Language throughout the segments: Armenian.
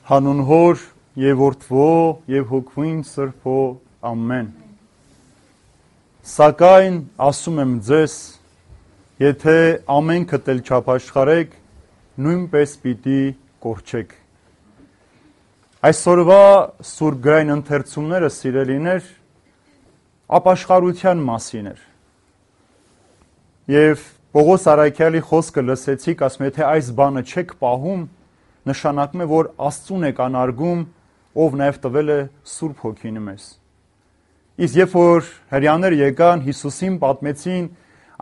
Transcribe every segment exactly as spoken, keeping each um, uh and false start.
Հանուն Հոր եւ Որդվո եւ Հոգվին Սրբո ամեն։ Սակայն ասում եմ ձեզ, եթե ամենքդ էլ չափաշխարեք, նույնպես պիտի կորչեք։ Այսօրվա Սուրբ գրային ընթերցումները, սիրելիներ, ապաշխարության մասին էր։ Եվ Պողոս Արաքյալի խոսքը լսեցիք, ասում եթե այս բանը չեք պահում, նշանակում է, որ Աստծուն եք անարգում, ով նաև տվել է Սուրբ Հոգին մեզ։ Իսկ երբ որ հրեաները եկան, Հիսուսին պատմեցին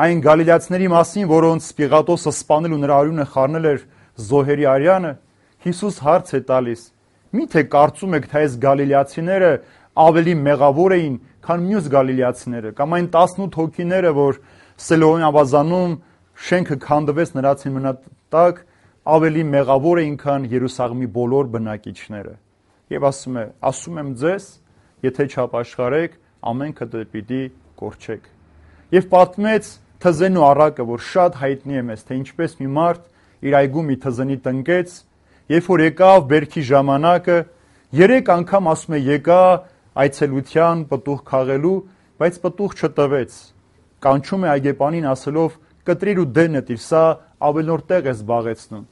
այն գալիլացիների մասին, որոնց Պիղատոսը սպանել ու նրա արյունը խառնել էր զոհերի արյանը, Հիսուս հարց է տալիս. միթե կարծում եք, թե այս գալիլացիները ավելի մեղավոր էին, քան մյուս գալիլացիները, կամ այն տասնութ հոգիները, որ Սելոյի ավազանում շենքը քանդվեց նրանց մնատակ, ավելի մեղավոր էին, քան Երուսաղեմի բոլոր բնակիչները։ Եվ ասում է, ասում եմ ձեզ, եթե չապաշխարեք, ամենքդ պիտի կորչեք։ Եվ պատմեց թզենու առակը, որ շատ հայտնի է մեզ, թե ինչպես մի մարդ իր այգում մի թզենի տնկեց, երբ որ եկավ բերքի ժամանակը, երեք անգամ ասում է եկա այցելության պտուղ քաղելու, բայց պտուղ չտվեց։ Կանչում է այգեպանին ասելով կտրիր ու դեն նետիր, սա ավելնոր տեղ է զբաղեցնում։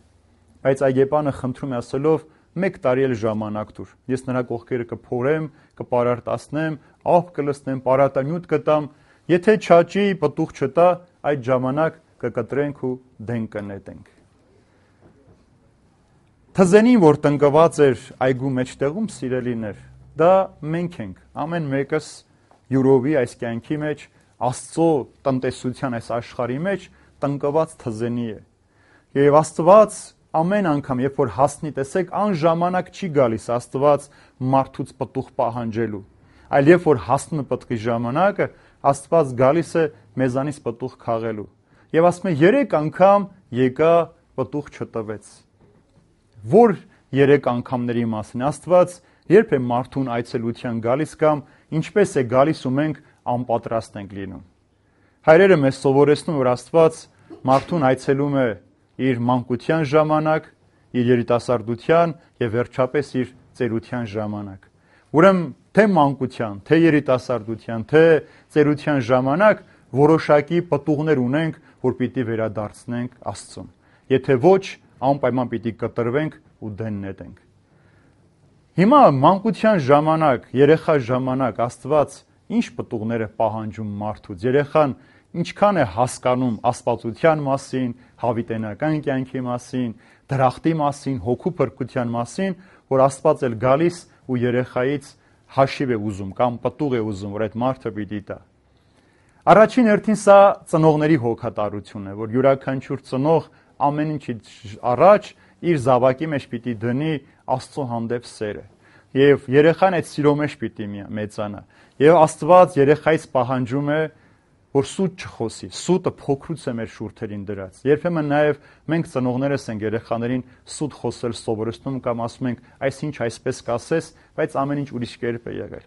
Բայց այգեպանը խնդրում է ասելով մեկ տարի էլ ժամանակ տուր, ես նրա կողքերը կփորեմ, կպարարտացնեմ, աղբ կլցնեմ, պարարտանյութ կտամ, եթե չաճի, պտուղ չտա, այդ ժամանակ կկտրենք ու դեն կնետենք։ Թզենին, որ տնկված էր այգու մեջտեղում, սիրելիներ, դա մենք ենք, ամեն մեկս յուրովի այս կյանքի մեջ, Աստծո տնտեսության այս աշխարհի մեջ տնկված թզենի է։ Եվ Աստված ամեն անգամ, երբ որ հասնի, տեսեք, ան ժամանակ չի գալիս Աստված մարդուց պտուղ պահանջելու, այլ երբ որ հասնում է պտղի ժամանակը, Աստված գալիս է մեզանից պտուղ քաղելու։ Եվ ասում է երեք անգամ եկա պտուղ չտվեց։ Որ երեք անգամների մասին Աստված երբ է մարդուն այցելության գալիս կամ ինչպես է գալիս ու մենք անպատրաստ ենք լինում։ Հայրերը մեզ սովորեցնում, որ Աստված մարդուն այցելում է իր մանկության ժամանակ, իր երիտասարդության եւ վերջապես իր ծերության ժամանակ։ Ուրեմն թե մանկության, թե երիտասարդության, թե ծերության ժամանակ որոշակի պտուղներ ունենք, որ պիտի վերադարձնենք Աստծուն։ Եթե ոչ, անպայման պիտի կտրվենք ու դեն նետենք։ Հիմա մանկության ժամանակ, երեխա ժամանակ Աստված ինչ պտուղներ է պահանջում մարդուց, երեխան ինչքան է հասկանում աստվածության մասին, հավիտենական կյանքի մասին, դրախտի մասին, հոգու փրկության մասին, որ Աստված էլ գալիս ու երեխայից հաշիվ է ուզում կամ պտուղ է ուզում, որ այդ մարդը պիտի տա։ Առաջին հերթին սա ծնողների հոգատարությունն է, որ յուրաքանչյուր ծնող ամեն ինչից առաջ իր զավակի մեջ պիտի դնի Աստծո հանդեպ սերը։ Եվ երեխան այդ սիրո մեջ պիտի մեծանա։ Եվ Աստված երեխայից պահանջում է, որ սուտ չխոսի, սուտը փոքրուց է մեր շուրթերին դրած։ Երբեմն նաև մենք ծնողներս ենք երեխաներին սուտ խոսել սովորեցնում կամ ասում ենք, այսինչ այսպես կասես, բայց ամեն ինչ ուրիշ կերպ է եղել։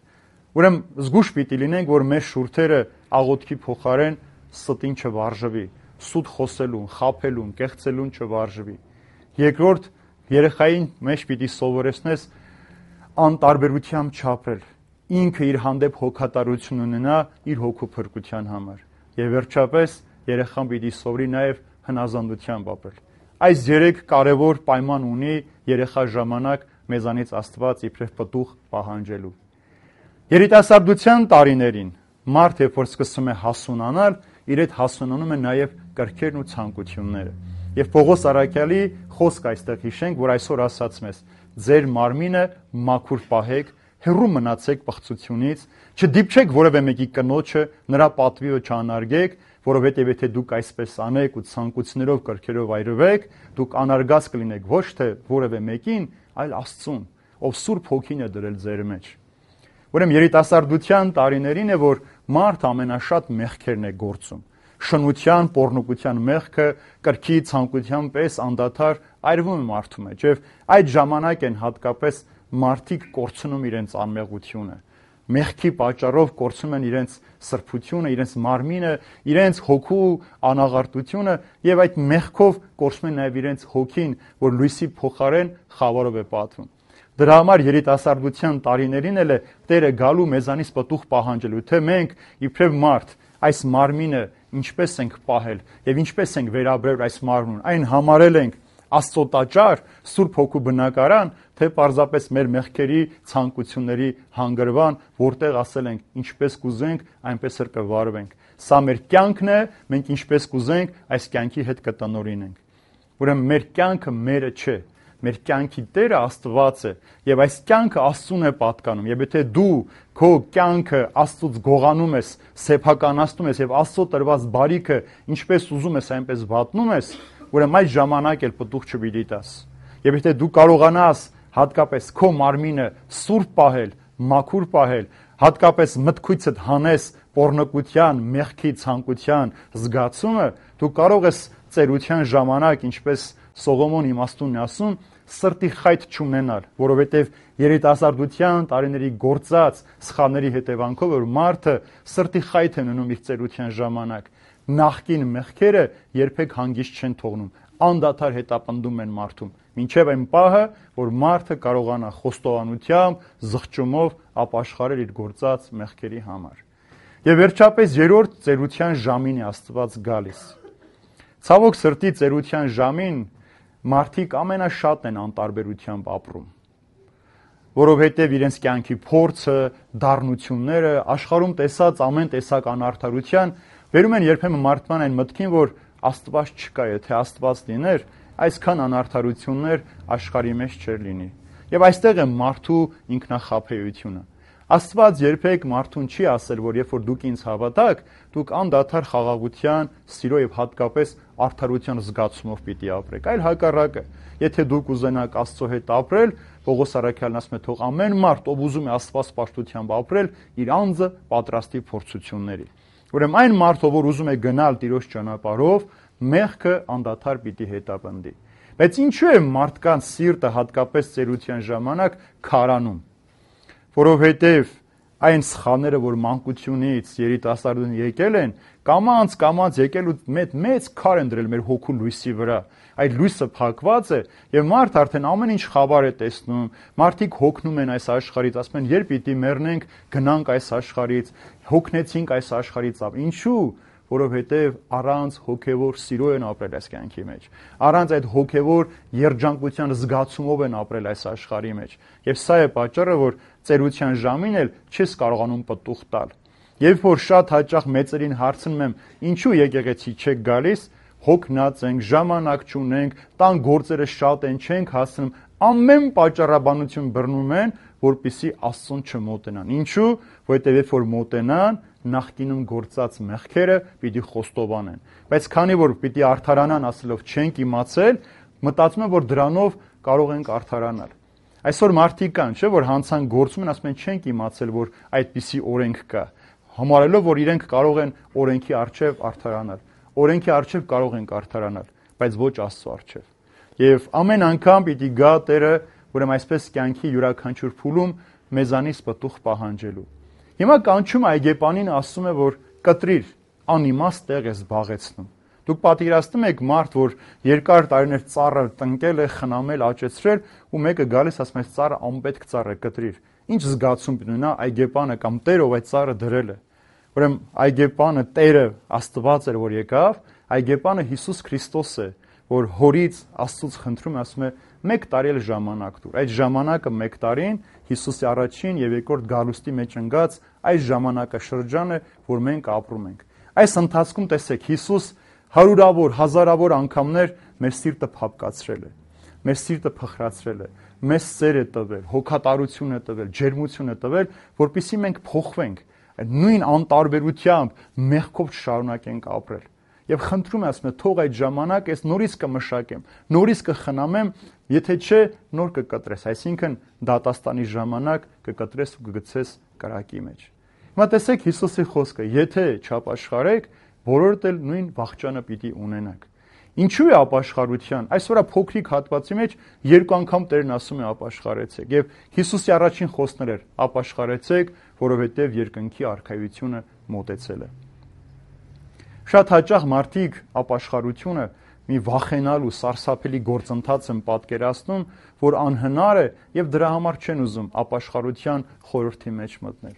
Ուրեմն զգուշ պիտի լինենք, որ մեր շուրթերը աղոթքի փոխարեն ստին չվարժվի, սուտ խոսելուն, խաբելուն, կեղծելուն չվարժվի։ Երկրորդ, երեխային մեջ պիտի սովորեցնես անտարբերությամբ չապրել, ինքը իր հանդեպ հոգատարություն ունենա իր հոգու փրկության համար։ Եվ վերջապես երեխան պիտի սովորի նաև հնազանդությամբ ապրել։ Այս երեք կարևոր պայման ունի երեխա ժամանակ մեզանից Աստված իբրև պտուղ պահանջելու։ Երիտասարդության տարիներին մարդ երբ որ սկսում է հասունանալ, իր հետ հասունանում է նաև կրքերն ու ցանկությունները։ Եվ Պողոս Արաքյալի խոսք այստեղ հիշենք, որ այսօր ասաց մեզ. ձեր մարմինը մաքուր պահեք, հեռու մնացեք պղծությունից, չդիպչեք որևէ մեկի կնոջը, նրա պատվիը չանարգեք, որովհետև եթե դուք այսպես անեք ու ցանկություններով կրքերով այրվեք, դուք անարգած կլինեք ոչ թե որևէ մեկին, այլ Աստծուն, ով Սուրբ Հոգին է դրել ձեր մեջ։ Ուրեմն երիտասարդության տարիներին է, որ մարդ ամենաշատ մեղքերն է գործում։ Շնության, պոռնոգության մեղքը կրքի ցանկության պես անդադար այրվում է մարդու մեջ, եւ այդ ժամանակ են հատկապես մարդիկ կորցնում իրենց անմեղությունը։ Մեղքի պատճառով կորցնում են իրենց սրբությունը, իրենց մարմինը, իրենց հոգու անաղարտությունը եւ այդ մեղքով կորցնում են նաեւ իրենց հոգին, որ լույսի փոխարեն խավարով է պատվում։ Դրա համար երիտասարդության տարիներին էլ է Տերը գալու մեզանից պտուղ պահանջելու, թե մենք իբրև մարդ այս մարմինը ինչպես ենք պահել եւ ինչպես ենք վերաբերել այս մարմնուն, այն համարել ենք Աստծո տաճար, Սուրբ Հոգու բնակարան, թե պարզապես մեր մեղքերի ցանկությունների հանգրվան, որտեղ ասել ենք ինչպես կուզենք, այնպես էլ կվարվենք։ Սա մեր կյանքն է, մենք ինչպես կուզենք, այս կյանքի հետ կտնօրինենք։ Ուրեմն մեր կյանքը մերը չէ, մեր կյանքի Տերը Աստված է, եւ այս կյանքը Աստծուն է պատկանում։ Եվ եթե դու քո կյանքը Աստծուց գողանում ես, սեփականացնում ես եւ Աստծո տրված բարիքը ինչպես ուզում ես, այնպես վատնում ես, ուրեմն այդ ժամանակ էլ պտուղ չպիտի տաս։ Եվ եթե դու կարողանաս հատկապես քո մարմինը սուրբ պահել, մաքուր պահել, հատկապես մտքույցդ հանես պոռնկության, մեղքի ցանկության զգացումը, դու կարող ես ծերության ժամանակ, ինչպես Սողոմոն իմաստունն է ասում, սրտի խայթ չունենալ, որովհետև երիտասարդության տարիների գործած սխալների հետևանքով որ մարդը սրտի խայթ է ունենում իր ծերության ժամանակ, նախկին մեղքերը երբեք հանգիստ չեն թողնում, անդադար հետապնդում են մարդում, մինչև այն պահը, որ մարդը կարողանա խոստովանությամբ, զղջումով ապաշխարել իր գործած մեղքերի համար։ Եվ վերջապես երրորդ ծերության ժամին է Աստված գալիս։ Ցավոք սրտի ծերության ժամին մարդիկ ամենաշատն են անտարբերությամբ ապրում, որովհետև իրենց կյանքի փորձը, դառնությունները, աշխարհում տեսած ամեն տեսակ անարդարության վերում են երբեմն մարդման այն մտքին, որ Աստված չկա, եթե Աստված լիներ, այսքան անարդարություններ աշխարհի մեջ չէր լինի։ Եվ այստեղ է մարդու ինքնախաբեությունը։ Աստված երբեք մարդուն չի ասել, որ երբ որ դուք ինձ հավատաք, դուք անդադար խաղաղության, սիրո եւ հատկապես արդարության զգացումով պիտի ապրեք, այլ հակառակը։ Եթե դուք ուզենաք Աստծո հետ ապրել, Պողոս առաքյալն ասում է, թող ամեն մարդ, ով ուզում է Աստված պաշտությամբ ապրել, իր անձը պատրաստի փորձությունների։ Ուրեմն այն մարդը, որ ուզում է գնալ Տիրոջ ճանապարհով, մեղքը անդադար պիտի հետապնդի։ Բայց ինչու է մարդկանց սիրտը հատկապես ծերության ժամանակ քարանում, որովհետև այն սխալները, որ մանկությունից երիտասարդուն եկել են, կամած կամած եկել ու մեծ մեծ քար են դրել մեր հոգու լույսի վրա։ Այդ լույսը փակված է եւ մարդ արդեն ամեն ինչ խաբար է տեսնում, մարդիկ հոգնում են այս աշխարհից, ասում են, երբ պիտի մեռնենք, գնանք այս աշխարհից, հոգնեցինք այս աշխարհից, ինչու՞։ Որովհետև առանց հոգևոր սիրո են ապրել այս կյանքի մեջ, առանց այդ հոգևոր երջանկության զգացումով են ապրել այս աշխարհի մեջ։ Եվ սա է պատճառը, որ ծերության ժամին էլ չես կարողանում պտուղ տալ։ Երբ որ շատ հաճախ մեծերին հարցնում եմ, ինչու եկեղեցի չեք գալիս, հոգնած ենք, ժամանակ չունենք, տան գործերը շատ են, չենք հասնում, ամեն պատճառաբանություն բռնում են, որպեսզի Աստծուն չմոտենան։ Ինչու՞։ Որովհետև երբ որ մոտենան, նախկինում գործած մեղքերը պիտի խոստովանեն։ Բայց քանի որ պիտի արդարանան ասելով չենք իմացել, մտածում են, որ դրանով կարող ենք արդարանալ։ Այսօր մարդիկ կան, չէ՞, որ հանցան գործում են, ասում են չենք իմացել, որ այդպիսի օրենք կա, համարելով, որ իրենք կարող են օրենքի առջև արդարանալ։ Օրենքի առջև կարող ենք արդարանալ, բայց ոչ Աստծո առջև։ Եվ ամեն անգամ պիտի գա Տերը, ուրեմն այսպես կյանքի յուրաքանչյուր փուլում մեզանից պտուղ պահանջելու։ Հիմա կանչում այգեպանին ասում է, որ կտրիր, անիմաստ տեղ է զբաղեցնում։ Դուք պատկերացնում եք մարդ, որ երկար տարիներ ծառը տնկել է, խնամել, աճեցրել, ու մեկը գալիս ասում է, ծառը անպետք ծառ է, կտրիր։ Ինչ զգացում ունենա այգեպանը կամ Տերը, ով այդ ծառը դրել է։ Ուրեմն այգեպանը Տերը Աստված էր, որ եկավ, այգեպանը Հիսուս Քրիստոս է, որ հորից Աստծուց խնդրում է, ասում է, մեկ տարի էլ ժամանակ տուր։ Այդ ժամանակը մեկ տարին Հիսուսի առաջին եւ երկրորդ գալուստի մեջ ընկած այս ժամանակաշրջանը, որ մենք ապրում ենք։ Այս ընթացքում տեսեք, Հիսուս հարյուրավոր, հազարավոր անգամներ մեր սիրտը փափկացրել է, մեր սիրտը փխրացրել է, մեզ սեր է տվել, հոգատարություն է տվել, ջերմություն է տվել, որպեսզի մենք փոխվենք, նույն անտարբերությամբ մեղքով չշարունակենք ապրել։ Եվ խնդրում եմ, ասում եմ, թող այդ ժամանակ ես նորից կմշակեմ, նորից կխնամեմ, եթե չէ, նոր կկտրես, այսինքն դատաստանի ժամանակ կկտրես ու կգցես կրակի մեջ։ Հիմա տեսեք Հիսուսի խոսքը, եթե չապաշխարեք, բոլորդ էլ նույն վախճանը պիտի ունենաք։ Ինչու է ապաշխարության։ Այսօր փոքրիկ հատվածի մեջ երկու անգամ Տերն ասում է ապաշխարեցեք, եւ Հիսուսի առաջին խոսքն էր ապաշխարեցեք, որովհետեւ երկնքի արքայությունը մոտեցել է։ Շատ հաճախ մարդիկ ապաշխարությունը մի վախենալու, սարսափելի գործընթաց եմ պատկերացնում, որ անհնար է եւ դրա համար չեն ուզում ապաշխարության խորհրդի մեջ մտնել։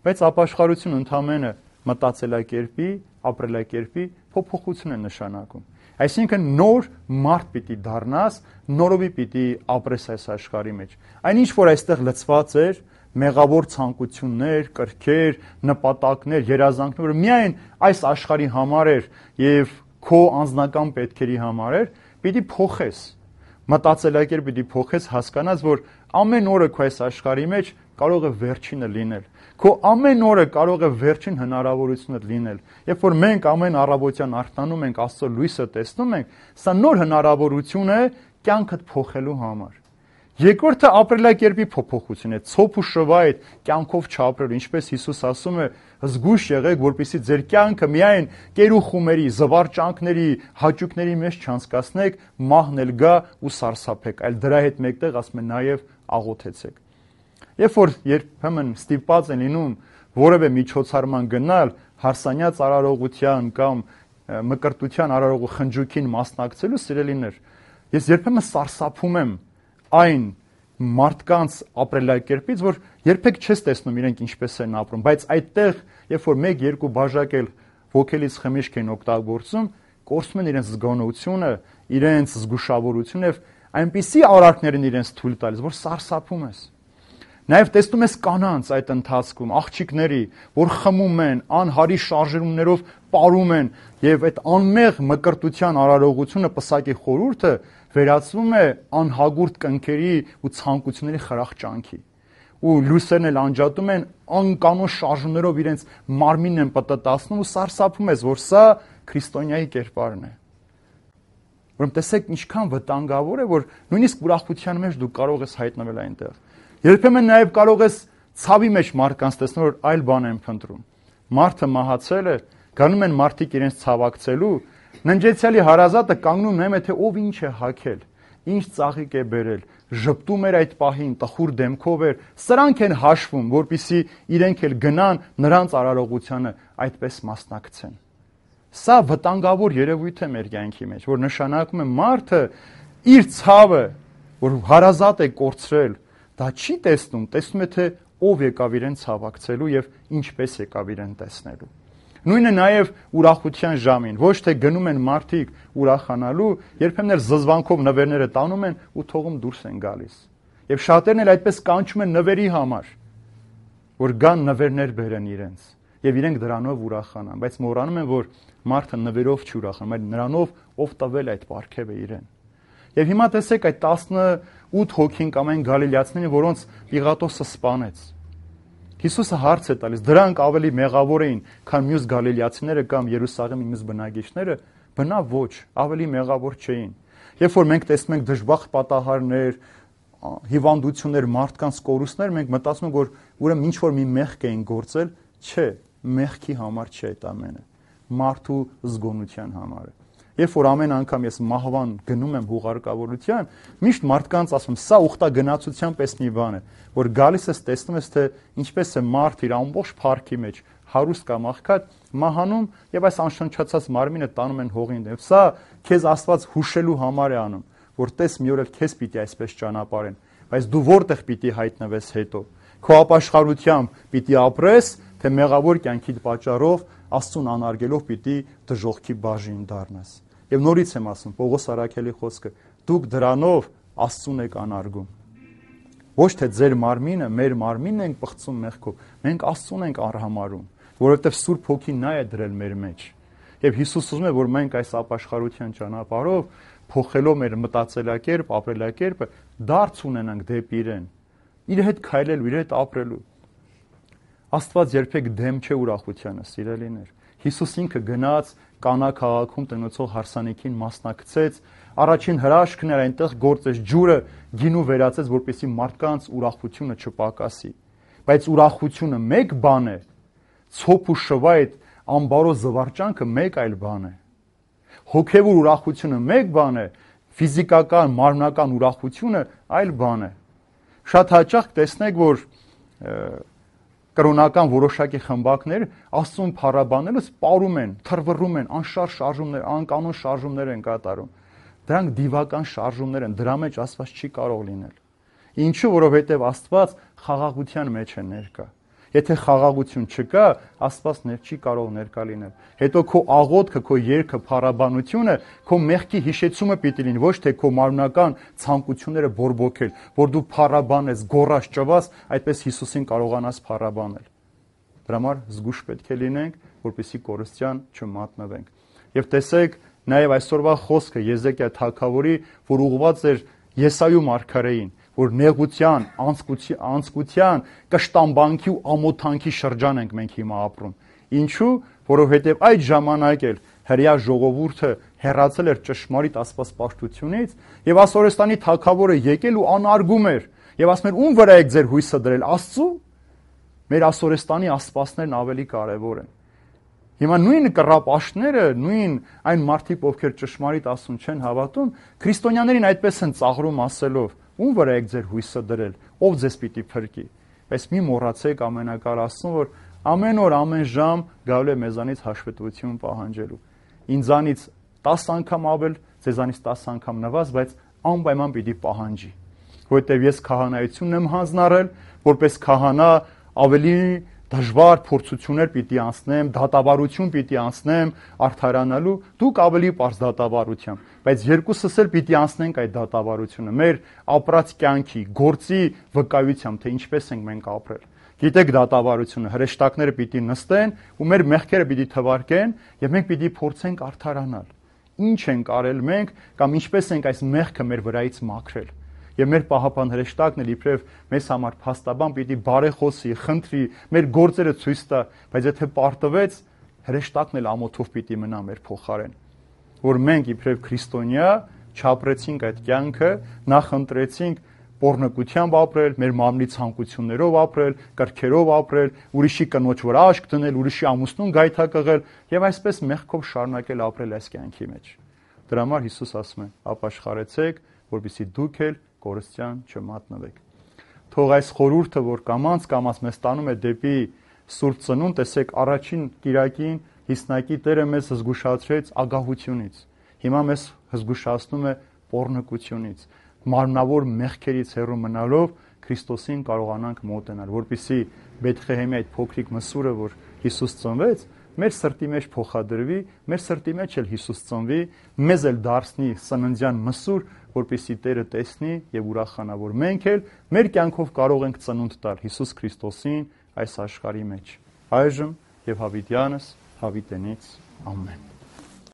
Բայց ապաշխարություն ընդամենը մտածելակերպի, ապրելակերպի փոփոխություն է նշանակում։ Այսինքն նոր մարդ պիտի դառնաս, նորովի պիտի ապրես այս աշխարհի մեջ։ Այնինչ որ այստեղ լցված էր, մեղավոր ցանկություններ, կրքեր, նպատակներ, երազանքներ, որ միայն այս աշխարհի համար էր եւ քո անձնական պետքերի համար էր, պիտի փոխես։ Մտածելակերպ պիտի փոխես, հասկանաս, որ ամեն օրը քո այս աշխարհի մեջ կարող է վերջինը լինել։ Քո ամեն օրը կարող է վերջին հնարավորությունը լինել։ Երբ որ մենք ամեն առավոտյան արթնանում ենք, Աստծո լույսը տեսնում ենք, սա նոր հնարավորություն է կյանքդ փոխելու համար։ Երկրորդը ապրելակերպի փոփոխություն է, ցոփ ու շվայտ կյանքով չապրելու, ինչպես Հիսուս ասում է, զգույշ եղեք, որպեսզի ձեր կյանքը միայն կերուխումերի, զվարճանքների, հաճույքների մեջ չանցկացնեք, մահն էլ գա ու սարսափեք, այլ դրա հետ մեկտեղ ասում է նաև աղոթեցեք։ Երբ որ երբեմն ստիպված են լինում որևէ միջոցառման գնալ, հարսանյաց արարողության կամ մկրտության արարողու խնջույքին մասնակցելու սիրելիներ, ես երբեմն սարսափում եմ այն մարդկանց ապրելակերպից, որ երբեք չես տեսնում իրենք ինչպես են ապրում, բայց այդտեղ, երբ որ մեկ-երկու բաժակ էլ ոգելից խմիչք են օգտագործում, կորցնում են իրենց զգոնությունը, իրենց զգուշավորությունը եւ այնպիսի արարքներ են իրենց թույլ տալիս, որ սարսափում ես։ Նաև տեսնում ես կանանց այդ ընթացքում, աղջիկների, որ խմում են, անհարի շարժումներով պարում են եւ այդ անմեղ մկրտության արարողությունը պսակի խորհուրդը վերածվում է անհագուրդ կնքերի ու ցանկությունների խրախճանքի։ Ու լույսերն էլ անջատում են անկանոն շարժումներով իրենց մարմինն են պտտացնում ու սարսափում ես, որ սա քրիստոնյայի կերպարն է։ Ուրեմն տեսեք ինչքան վտանգավոր է, որ նույնիսկ ուրախության մեջ դու կարող ես հայտնվել այնտեղ։ Երբեմն նաև կարող ես ցավի մեջ մարդկանց տեսնել, որ այլ բան են փնտրում։ Մարդը մահացել է, գանում են մարդիկ իրենց ցավակցելու, ննջեցյալի հարազատը կանգնում նայում է, թե ով ինչ է հագել, ինչ ծաղիկ է բերել, ժպտում էր այդ պահին, տխուր դեմքով էր, սրանք են հաշվում, որպեսզի իրենք էլ գնան նրանց արարողությանը այդպես մասնակցեն։ Սա վտանգավոր երևույթ է մեր կյանքի մեջ, որ նշանակում է մարդը իր ցավը, որ հարազատ է կորցրել, դա չի տեսնում, տեսնում է, թե ով եկավ իրեն ցավակցելու եւ ինչպես եկավ իրեն տեսնելու։ Նույնը նաեւ ուրախության ժամին, ոչ թե գնում են մարդիկ ուրախանալու, երբեմն էլ զզվանքով նվերները տանում են ու թողում դուրս են գալիս։ Եվ շատերն էլ այդպես կանչում են նվերի համար, որ գան նվերներ բերեն իրենց եւ իրենք դրանով ուրախանան, բայց մոռանում են, որ մարդը նվերով չի ուրախանում, այլ նրանով, ով տվել այդ պարգևը իրեն։ Եվ հիմա տեսեք այդ տասնութ հոգին կամ այն գալիլեացիներին, որոնց Պիղատոսը սպանեց։ Հիսուսը հարց է տալիս, դրանք ավելի մեղավոր էին, քան մյուս գալիլեացիները կամ Երուսաղեմի մյուս բնակիչները, բնա ոչ, ավելի մեղավոր չէին։ Երբ որ մենք տեսնում ենք դժբախտ պատահարներ, հիվանդություններ, մարդկանց կորուստներ, մենք մտածում ենք, որ ուրեմն ինչ որ մի մեղք էին գործել, չէ, մեղքի համար չէ այդ ամենը, մարդու զգոնության համար է։ Երբ որ ամեն անգամ ես մահվան գնում եմ հուղարկավորության, միշտ մարդկանց ասում, սա ուխտագնացության պես մի բան է, որ գալիս ես տեսնում ես, թե ինչպես է մարդ իր ամբողջ փառքի մեջ, հարուստ կամ աղքատ, մահանում եւ այս անշնչացած մարմինը տանում են հողին դեմ։ Սա քեզ Աստված հուշելու համար է անում, որ տես մի օր էլ քեզ պիտի այսպես ճանապարհեն, բայց դու որտեղ պիտի հայտնվես հետո։ Քո ապաշխարությամբ պիտի ապրես, թե մեղավոր կյանքիդ պատճառով Աստծուն անարգելով պիտի դժոխքի բաժին դառնաս։ Եվ նորից եմ ասում, Պողոս Արաքելի խոսքը, դուք դրանով Աստծուն եք անարգում։ Ոչ թե ձեր մարմինը, մեր մարմինն ենք պղծում մեղքով, մենք Աստծուն ենք արհամարում, որովհետև Սուրբ Հոգին նա է դրել մեր մեջ։ Եվ Հիսուս ուզում է, որ մենք այս ապաշխարության ճանապարհով փոխելով մեր մտածելակերպ, ապրելակերպը, դարձ ունենանք դեպի իրեն, իր հետ քայլելու, իր հետ ապրելու։ Աստված երբեք դեմ չէ ուրախությանը, սիրելիներ։ Հիսուս ինքը գնաց Կանա քաղաքում տնոցող հարսանիքին մասնակցեց, առաջին հրաշքն էր այնտեղ գործեց ջուրը գինու վերածեց, որպեսզի մարդկանց ուրախությունը չպակասի։ Բայց ուրախությունը մեկ բան է, ցոփ ու շվայտ ամբարո զվարճանքը մեկ այլ բան է։ Հոգևոր ուրախությունը մեկ բան է, ֆիզիկական, մարմնական ուրախությունը այլ բան է։ Շատ հաճախ տեսնեք, որ կրոնական որոշակի խմբակներ Աստծուն փառաբանելուց պարում են, թռվռում են, անշարժ շարժումներ, անկանոն շարժումներ են կատարում։ Դրանք դիվական շարժումներ են, դրա մեջ Աստված չի կարող լինել։ Ինչու, որովհետև Աստված խաղաղության մեջ է ներկա։ Եթե խաղաղություն չկա, Աստված ներ չի կարող ներկա լինել։ Հետո քո աղոթքը, քո երգը, փառաբանությունը, քո մեղքի հիշեցումը պիտի լինի, ոչ թե քո մարմնական ցանկությունները բորբոքել, որ դու փառաբանես, գոռաս, ճվաս, այդպես Հիսուսին կարողանաս փառաբանել։ Դրա համար զգուշ պետք է լինենք, որպեսզի կորստյան չմատնվենք։ Եվ տեսեք, նաև այսօրվա խոսքը Եզեկիա թագավորի, որ ուղղված էր Եսայու մարգարեին, որ նեղության, անձկության, կշտամբանքի ու ամոթանքի շրջան ենք մենք հիմա ապրում։ Ինչու? Որովհետև այդ ժամանակ էլ հրեա ժողովուրդը հեռացել էր ճշմարիտ աստվածպաշտությունից, եւ Ասորեստանի թագավորը եկել ու անարգում էր, եւ ասում էր՝ ում վրա եք ձեր հույսը դրել, Աստծու։ Մեր Ասորեստանի աստվածներն ավելի կարևոր են։ Հիմա նույն կռապաշտները, նույն այն մարդիկ, ովքեր ճշմարիտ Աստծուն չեն հավատում, քրիստոնյաներին այդպես են ծաղրում ասելով. ում վրա եք ձեր հույսը դրել, ով ձեզ պիտի փրկի։ Բայց մի մոռացեք ամենակար Աստծուն, որ ամեն օր, ամեն ժամ գալու է մեզանից հաշվետվություն պահանջելու։ Ինձանից տասը անգամ ավել, ձեզանից տասը անգամ նվազ, բայց անպայման պիտի պահանջի։ Որովհետև ես քահանայությունն եմ հանձնարարել, որպես քահանա ավելի դժվար փորձություններ պիտի անցնեմ, դատավարություն պիտի անցնեմ արդարանալու, դուք ավելի པարզ դատավարությամբ, բայց երկուսս էլ պիտի անցնենք այդ դատավարությունը, մեր ապրած կյանքի, գործի վկայությամբ, թե ինչպես ենք մենք ապրել։ Գիտեք դատավարությունը, հրեշտակները պիտի նստեն ու մեր մեղքերը պիտի թվարկեն եւ մենք պիտի փորձենք արդարանալ։ Ինչ ենք արել մենք կամ ինչպես ենք այս մեղքը մեր վրայից մաքրել։ Եվ մեր պահապան հրեշտակն էլ իբրև մեզ համար փաստաբան պիտի բարեխոսի, խնդրի, մեր գործերը ցույց տա, բայց եթե պարտվեց, հրեշտակն էլ ամոթով պիտի մնա մեր փոխարեն։ Որ մենք իբրև քրիստոնյա չապրեցինք այդ կյանքը, նախընտրեցինք պոռնկությամբ ապրել, մեր մարմնի ցանկություններով ապրել, կրքերով ապրել, ուրիշի կնոջ վրա աշկ դնել, ուրիշի ամուսնուն գայթակղել եւ այսպես մեղքով շարունակել ապրել այս կյանքի մեջ։ Դրա համար Հիսուս ասում է. ապաշխարեցեք, որպեսզի դուք էլ կորստյան չմատնվեք։ Թող այս խորհուրդը, որ կամած կամած մեզ տանում է դեպի Սուրբ Ծնունդ, տեսեք, առաջին կիրակին Հիսնակի Տերը մեզ հզգուշացրեց ագահությունից։ Հիմա մեզ հզգուշացնում է պոռնկությունից, մարմնավոր մեղքերից հեռու մնալով Քրիստոսին կարողանանք մոտենալ, որպեսզի Բեթլեհեմի այդ փոքրիկ մսուրը, որ Հիսուս ծնվեց, մեր սրտի մեջ փոխադրվի, մեր սրտի մեջ էլ Հիսուս ծնվի, մեզ էլ դարձնի սննդյան մսուր, որպեսզի Տերը տեսնի եւ ուրախանա, որ մենք էլ մեր կյանքով կարող ենք ծնունդ տալ Հիսուս Քրիստոսին այս աշխարհի մեջ։ Այժմ եւ հավիտյանս հավիտենից ամեն։